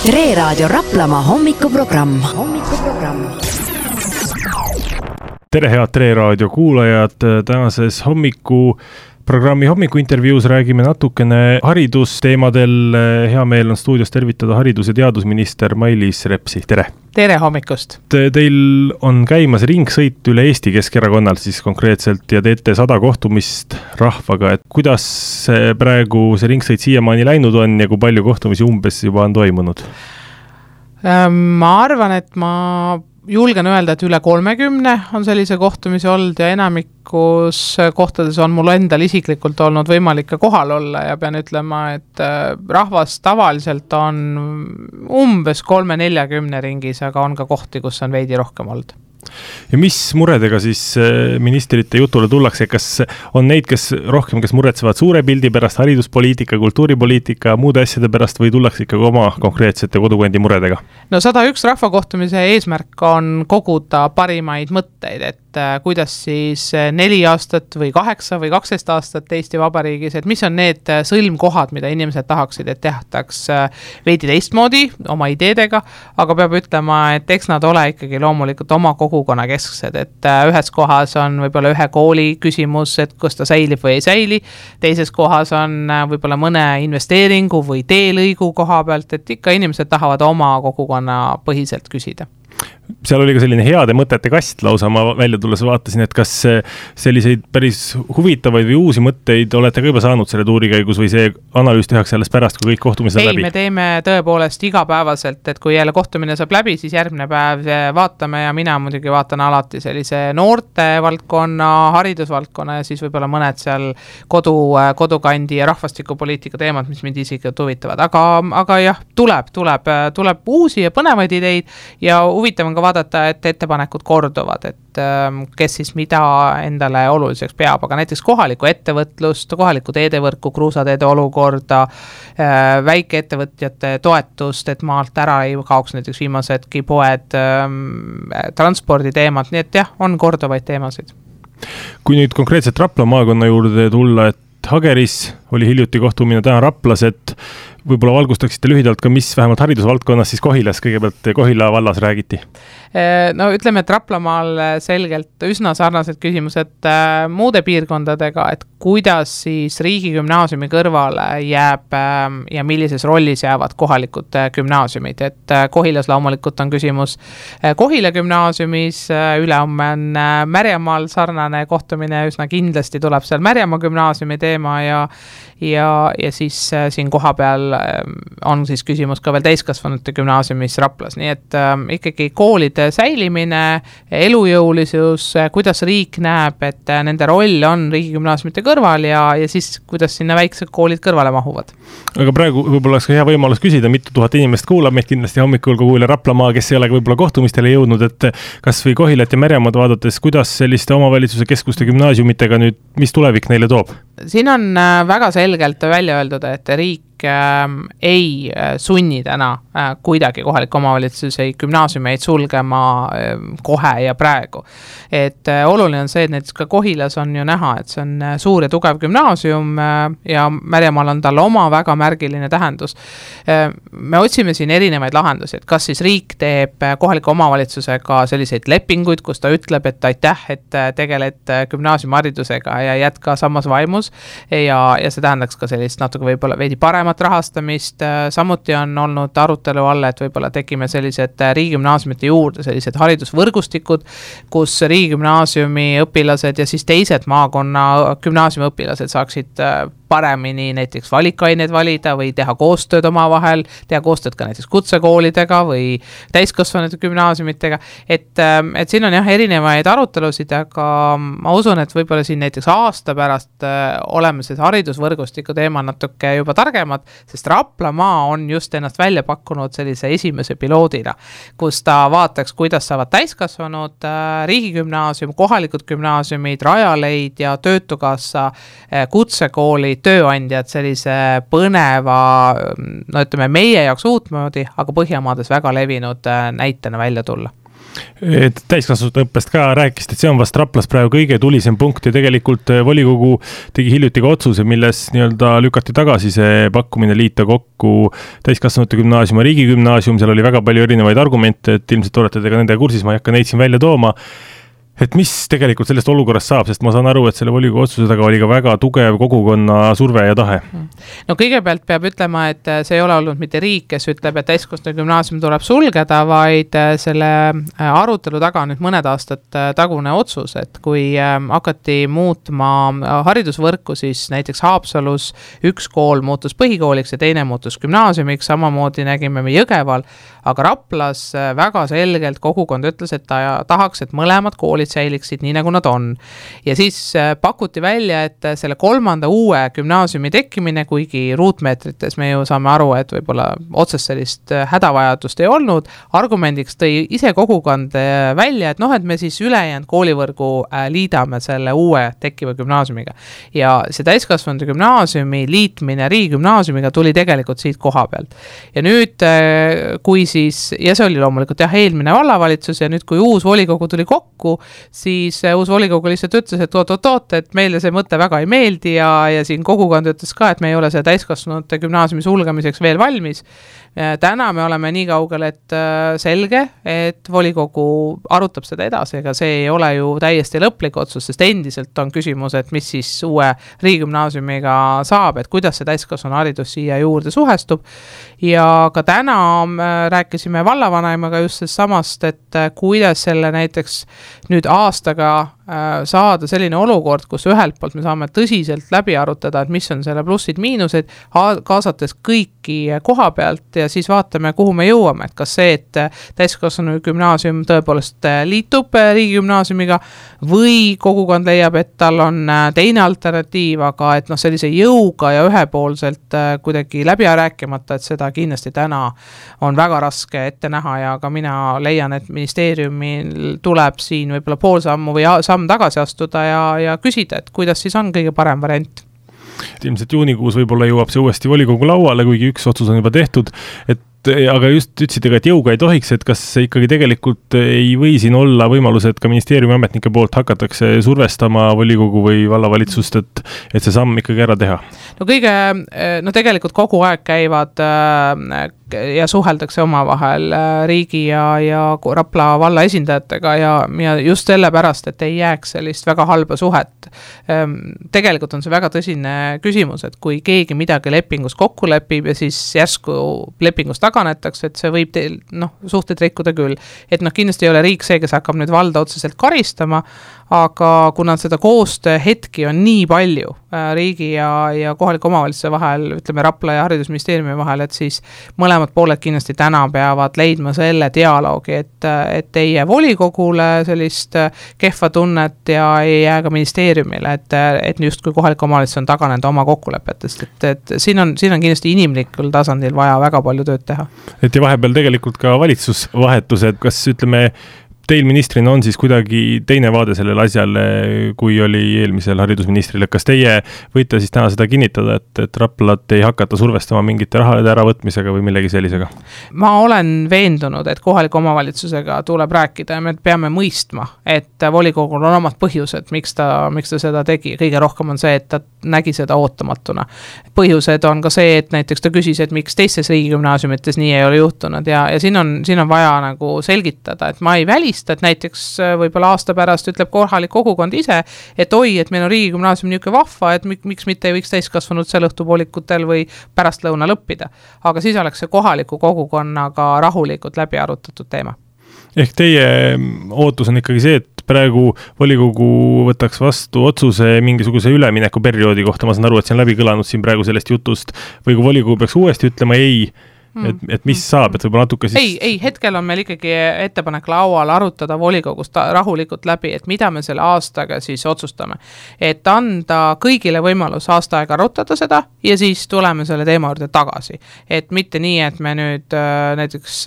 Tre Raadio Raplamaa hommikuprogramm. Tere head Tre Raadio kuulajad, tänases hommikuprogrammi hommikuintervjuus räägime natukene haridusteemadel. Hea meel on stuudios tervitada haridus- ja teadusminister Mailis Repsi. Tere! Tere hommikust! Teil on käimas ringsõit üle Eesti Keskerakonnal siis konkreetselt ja teete 100 kohtumist rahvaga. Et kuidas praegu see ringsõit siiamaani läinud on ja kui palju kohtumisi umbes juba on toimunud? Ma arvan, et ma julgen öelda, et üle 30 on sellise kohtumisi olnud ja enamikus kohtades on mul endal isiklikult olnud võimalik ka kohal olla ja pean ütlema, et rahvas tavaliselt on umbes 30-40 ringis, aga on ka kohti, kus on veidi rohkem olnud. Ja mis muredega siis ministrite jutule tullakse? Kas on neid, kes muretsevad suure pildi pärast, hariduspoliitika, kultuuripoliitika, muude asjade pärast või tullakse ikkagi oma konkreetsete kodukondi muredega? No 101 rahvakohtumise eesmärk on koguda parimaid mõtteid, et kuidas siis 4 aastat või 8 või 12 aastat Eesti Vabariigis, et mis on need sõlmkohad, mida inimesed tahaksid, et tehtaks veidi teistmoodi oma ideedega, aga peab ütlema, et eks nad ole ikkagi loomulikult oma kogukonna kesksed, et ühes kohas on võib-olla ühe kooli küsimus, et kas ta säilib või ei säili, teises kohas on võib-olla mõne investeeringu või teelõigu koha pealt, et ikka inimesed tahavad oma kogukonna põhiselt küsida. Seal oli ka selline heade mõtete kast lausa, ma välja tulles vaatasin, et kas selliseid päris huvitavaid või uusi mõtteid olete ka juba saanud selle tuuri käigus või see analüüs tehakse alles pärast, kui kõik kohtumised on läbi? Ei, me teeme tõepoolest igapäevaselt, et kui jälle kohtumine saab läbi, siis järgmine päev vaatame ja mina muidugi vaatan alati sellise noorte valdkonna, haridusvaldkonna ja siis võib-olla mõned seal kodukandi ja rahvastikupoliitika teemad, mis mind isiklikult huvitavad. Aga jah, tuleb uusi ja põnevaid ideid ja huvitav on ka vaadata, et ettepanekud korduvad, et kes siis mida endale oluliseks peab, aga näiteks kohalikku ettevõtlust, kohalikku teedevõrku, kruusateede olukorda, väikeettevõtjate toetust, et maalt ära ei kaoks näiteks viimasedki poed, transporditeemad, nii et jah, on korduvaid teemasid. Kui nüüd konkreetselt Rapla maakonna juurde tulla, et Hageris oli hiljuti kohtumine, täna Raplas, et võib-olla valgustaksite lühidalt ka, mis vähemalt haridusvaldkonnas siis Kohilas kõigepealt Kohila vallas räägiti? No ütleme, et Raplamaal selgelt üsna sarnased küsimused muude piirkondadega, et kuidas siis riigigümnaasiumi kõrvale jääb ja millises rollis jäävad kohalikud gümnaasiumid, et Kohilas loomulikult on küsimus Kohila gümnaasiumis, ülehomme on Märjamaal sarnane kohtumine, üsna kindlasti tuleb seal Märjamaa gümnaasiumi teema ja siis siin koha peal on siis küsimus ka veel täiskasvanute gümnaasiumis Raplas, nii et ikkagi koolide säilimine, elujõulisus, kuidas riik näeb, et nende roll on riigigümnaasiumite kõrval ja siis kuidas sinna väiksed koolid kõrvale mahuvad. Aga praegu võib-olla oleks ka hea võimalus küsida, mitu tuhat inimest kuulab meid kindlasti hommikul kogu üle Raplamaa, kes ei ole võib-olla kohtumistele jõudnud, et kas või Kohilat ja Märjamaad vaadates, kuidas selliste omavalitsuse keskuste gümnaasiumitega nüüd, mis tulevik neile toob? Siin on väga selgelt välja öeldud, et riik ei sunni täna kuidagi kohaliku omavalitsusi gümnaasiumeid sulgema kohe ja praegu. Et oluline on see, et näiteks ka Kohilas on ju näha, et see on suur ja tugev gümnaasium ja Märjamaal on tal oma väga märgiline tähendus. Me otsime siin erinevaid lahendusi, et kas siis riik teeb kohaliku omavalitsusega selliseid lepinguid, kus ta ütleb, et aitäh, et tegeled gümnaasiumiharidusega ja jätka samas vaimus ja see tähendaks ka sellist natuke võib-olla veidi paremat rahastamist, samuti on olnud arutelu all, et võib-olla tekime sellised riigigümnaasiumite juurde, sellised haridusvõrgustikud, kus riigigümnaasiumi õpilased ja siis teised maakonna gümnaasiumi õpilased saaksid paremini näiteks valikaineid valida või teha koostööd omavahel, teha koostööd ka näiteks kutsekoolidega või täiskasvanute gümnaasiumitega, et siin on jah erinevaid arutelusid, aga ma usun, et võib-olla siin näiteks aasta pärast oleme see haridusvõrgustiku teema natuke juba targemad, sest Raplamaa on just ennast välja pakkunud sellise esimese piloodina, kus ta vaataks, kuidas saavad täiskasvanud riigigümnaasium, kohalikud gümnaasiumid, Rajaleid ja Töötukassa kutsekoolid, tööandjad sellise põneva, no ütleme meie jaoks uutmoodi, aga Põhjamaades väga levinud näitena välja tulla. Täiskasvanute õppest ka rääkisite, et see on vast Raplas praegu kõige tulisem punkt ja tegelikult volikogu tegi hiljuti ka otsuse, milles nii-öelda lükati tagasi see pakkumine liita kokku täiskasvanute gümnaasium ja riigigümnaasium, seal oli väga palju erinevaid argumente, et ilmselt olete te ka nende kursis, ma ei hakka neid siin välja tooma. Et mis tegelikult sellest olukorrast saab, sest ma saan aru, et selle volikogu otsuse taga oli ka väga tugev kogukonna surve ja tahe. No kõigepealt peab ütlema, et see ei ole olnud mitte riik, kes ütleb, et täiskasvanute gümnaasium tuleb sulgeda, vaid selle arutelu taga on nüüd mõned aastad tagune otsus, et kui hakati muutma haridusvõrku, siis näiteks Haapsalus üks kool muutus põhikooliks ja teine muutus gümnaasiumiks, samamoodi nägime me Jõgeval, aga Raplas väga selgelt kogukond ütles, et ta tahaks, et mõlemad koolid säiliksid nii, nagu nad on. Ja siis pakuti välja, et selle kolmanda uue gümnaasiumi tekkimine, kuigi ruutmeetrites me ju saame aru, et võib-olla otsest sellist hädavajadust ei olnud, argumendiks tõi ise kogukond välja, et et me siis ülejäänud koolivõrgu liidame selle uue tekkiva gümnaasiumiga. Ja see täiskasvanute gümnaasiumi liitmine riigigümnaasiumiga tuli tegelikult siit koha pealt. Ja nüüd, kui siis, ja see oli loomulikult eelmine vallavalitsus ja nüüd, kui uus volikogu tuli kokku, siis uus volikogu lihtsalt ütles, et oot, et meile see mõte väga ei meeldi ja siin kogukond ütles ka, et me ei ole see täiskasvanute gümnaasiumi sulgemiseks veel valmis. Täna me oleme nii kaugel, et selge, et volikogu arutab seda edasi, ega see ei ole ju täiesti lõplik otsus, sest endiselt on küsimus, et mis siis uue riigigümnaasiumiga saab, et kuidas see täiskasvanu haridus siia juurde suhestub. Ja ka täna rääkisime vallavanemaga just samast, et kuidas selle näiteks nüüd aastaga saada selline olukord, kus ühelt poolt me saame tõsiselt läbi arutada, et mis on selle plussid-miinused, kaasates kõiki koha pealt ja siis vaatame, kuhu me jõuame, et kas see, et täiskasvanu gümnaasium tõepoolest liitub riigigümnaasiumiga või kogukond leiab, et tal on teine alternatiiv, aga et sellise jõuga ja ühepoolselt kuidagi läbi rääkimata, et seda kindlasti täna on väga raske ette näha ja ka mina leian, et ministeeriumil tuleb siin võib-olla pool sammu või samm tagasi astuda ja küsida, et kuidas siis on kõige parem variant. Ilmselt juunikuus võib-olla jõuab see uuesti volikogu lauale, kuigi üks otsus on juba tehtud, aga just ütlesite ka, et jõuga ei tohiks, et kas ikkagi tegelikult ei või siin olla võimalus, et ka ministeeriumi ametnike poolt hakatakse survestama volikogu või vallavalitsust, et see samm ikkagi ära teha? No tegelikult kogu aeg käivad ja suheldakse omavahel riigi ja Rapla valla esindajatega ja just sellepärast, et ei jääks sellist väga halba suhet. Tegelikult on see väga tõsine küsimus, et kui keegi midagi lepingus kokku lepib ja siis järsku lepingust taganetakse, et see võib suhteid rikkuda küll. Et kindlasti ei ole riik see, kes hakkab nüüd valda otseselt karistama, aga kuna seda koostöö hetki on nii palju riigi ja kohaliku omavalitsuse vahel, ütleme Rapla ja haridusministeeriumi vahel, et siis mõlemad pooled kindlasti täna peavad leidma selle dialoogi, et ei jää volikogule sellist kehva tunnet ja ei jää ka ministeeriumile, et just kui kohalik omavalitsus on taganenud oma kokkulepetest, et siin on kindlasti inimlikul tasandil vaja väga palju tööd teha. Et ja vahepeal tegelikult ka valitsusvahetused, kas ütleme teil ministrina on siis kuidagi teine vaade sellele asjale, kui oli eelmisel haridusministril, et kas teie võite siis täna seda kinnitada, et Raplat ei hakata survestama mingite rahade äravõtmisega või millegi sellisega? Ma olen veendunud, et kohaliku omavalitsusega tuleb rääkida ja me peame mõistma, et volikogul on omad põhjused, miks ta seda tegi. Kõige rohkem on see, et ta nägi seda ootamatuna. Põhjused on ka see, et näiteks ta küsis, et miks teistes riigigümnaasiumites nii ei ole juhtunud ja siin on vaja nagu selgitada, et ma ei välista, et näiteks võib-olla aasta pärast ütleb kohalik kogukond ise, et oi, et meil on riigigümnaasium niisugune vahva, et miks mitte ei võiks täiskasvanud seal õhtupoolikutel või pärastlõunal õppida. Aga siis oleks see kohaliku kogukonnaga rahulikult läbi arutatud teema. Ehk teie ootus on ikkagi see, et praegu volikogu võtaks vastu otsuse mingisuguse üleminekuperioodi kohta, ma saan aru, et see on läbi kõlanud siin praegu sellest jutust, või kui volikogu peaks uuesti ütlema ei, et mis saab, et võib-olla natuke siis... Ei, hetkel on meil ikkagi ettepanek laual arutada volikogust rahulikult läbi, et mida me selle aastaga siis otsustame. Et anda kõigile võimalus aasta aega arutada seda ja siis tuleme selle teema juurde tagasi. Et mitte nii, et me nüüd näiteks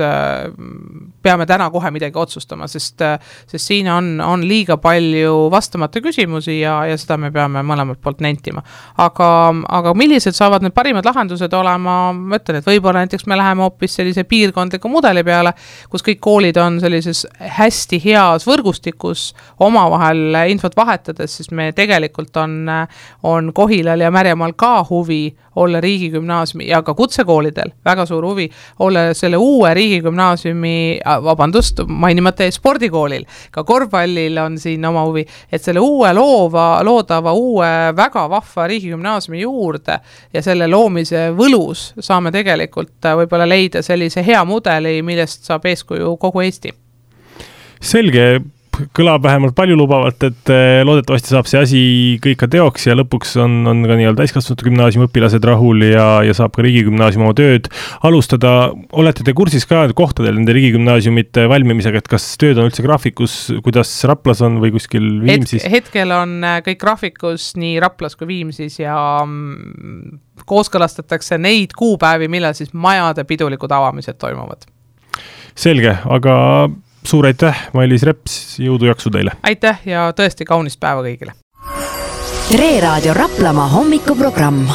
peame täna kohe midagi otsustama, sest siin on liiga palju vastamata küsimusi ja seda me peame mõlemalt poolt nentima. Aga millised saavad need parimad lahendused olema, ma ütlen, et võib-olla näiteks me me läheme hoopis sellise piirkondliku mudeli peale, kus kõik koolid on sellises hästi heas võrgustikus omavahel infot vahetades, siis me tegelikult on Kohilal ja Märjamaal ka huvi olla riigigümnaasiumi ja ka kutsekoolidel väga suur huvi olla selle uue riigigümnaasiumi, mainimata spordikoolil, ka korvpallil on siin oma huvi, et selle uue loodava uue väga vahva riigigümnaasiumi juurde ja selle loomise võlus saame tegelikult võib-olla leida sellise hea mudeli, millest saab eeskuju kogu Eesti. Selge, kõlab vähemalt paljulubavalt, et loodetavasti saab see asi kõik ka teoks ja lõpuks on ka nii-öelda täiskasvanute gümnaasiumi õpilased rahul ja saab ka riigigümnaasium oma tööd alustada. Olete te kursis ka kohtadel nende riigigümnaasiumite valmimisega, et kas tööd on üldse graafikus, kuidas Raplas on või kuskil Viimsis? Hetkel on kõik graafikus nii Raplas kui Viimsis ja kooskõlastatakse neid kuupäevi, millal siis majade pidulikud avamised toimuvad. Selge, aga suur aitäh, Mailis Reps, jõudu jaksu teile. Aitäh ja tõesti kaunist päeva kõigile. Tere Raadio Raplamaa hommikuprogramm.